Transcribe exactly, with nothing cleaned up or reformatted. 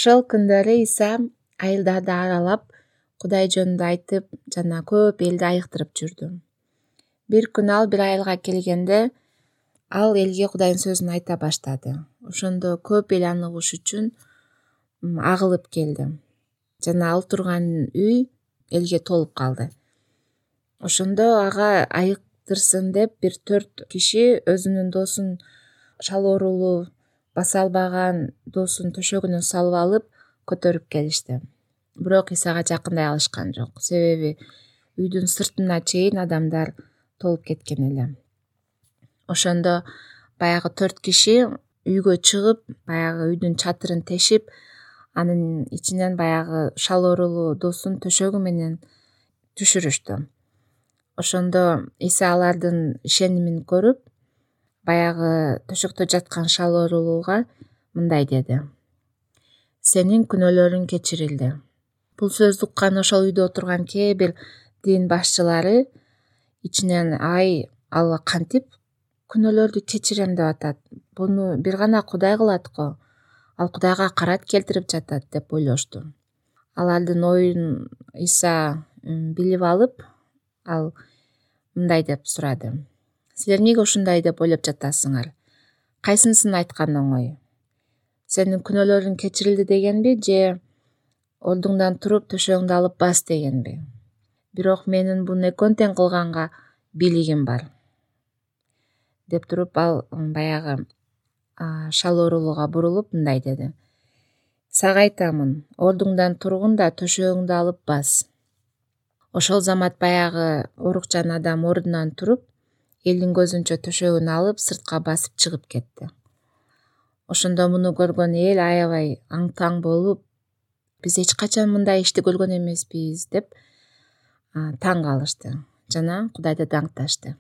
Ошол күндөрү Иса айылдарды аралап, Кудай жөнүндө айтып, жана көп элди айыктырып жүрдү. Бир күнү ал бир айылга келгенде, ал элге Кудайдын сөзүн айта баштады. Ошондо көп эл аны угуш үчүн агылып келди. Жана ал турган үй элге толуп калды. Ошондо ага айыктырсын деп бир төрт киши өзүнүн досун, шал оорулуу, баса албаган досун төшөгүнө салып алып көтөрүп келишти. Бирок Исага жакындай алышкан жок, себеби үйдүн сыртына чейин адамдар толуп кеткен эле. Ошондо баягы төрт киши үйгө чыгып, баягы үйдүн чатырын тешип, анын ичинен баягы шал оорулуу досун төшөгү менен түшүрүштү. Ошондо Иса алардын ишенимин көрүп, баягы төшөктө жаткан шал оорулууга мындай деди: "Сенин күнөөлөрүң кечирилди". Бул сөздү уккан ошол үйдө отурган кээ бир дин башчылары ичинен: "Ай, ал кантип күнөөлөрдү кечирем деп атат? Буну бир гана Кудай кылат го. Ал Кудайга карат келтирип жатат" деп ойлошту. Алардын оюн Иса билип алып, ал мындай деп сурады: "Силер эмнеге ушундай деп ойлоп жатасыңар? Кайсынысын айткан оңой? Сенин күнөөлөрүң кечирилди дегенби, же ордуңдан туруп төшөгүңдү алып бас дегенби? Бирок менин буну экөөнү тең кылганга бийлигим бар" деп туруп, ал баягы шал оорулууга бурулуп мындай деди: "Сага айтамын, ордуңдан тургун да төшөгүңдү алып бас". Ошол замат баягы оорукчан адам ордунан туруп, элдин көзүнчө төшөгүн алып, сыртка басып чыгып кетти. Ошондо муну көргөн эл аябай аң-таң болуп: "Биз эч качан мындай ишти көргөн эмеспиз" деп таң калышты жана Кудайды даңкташты.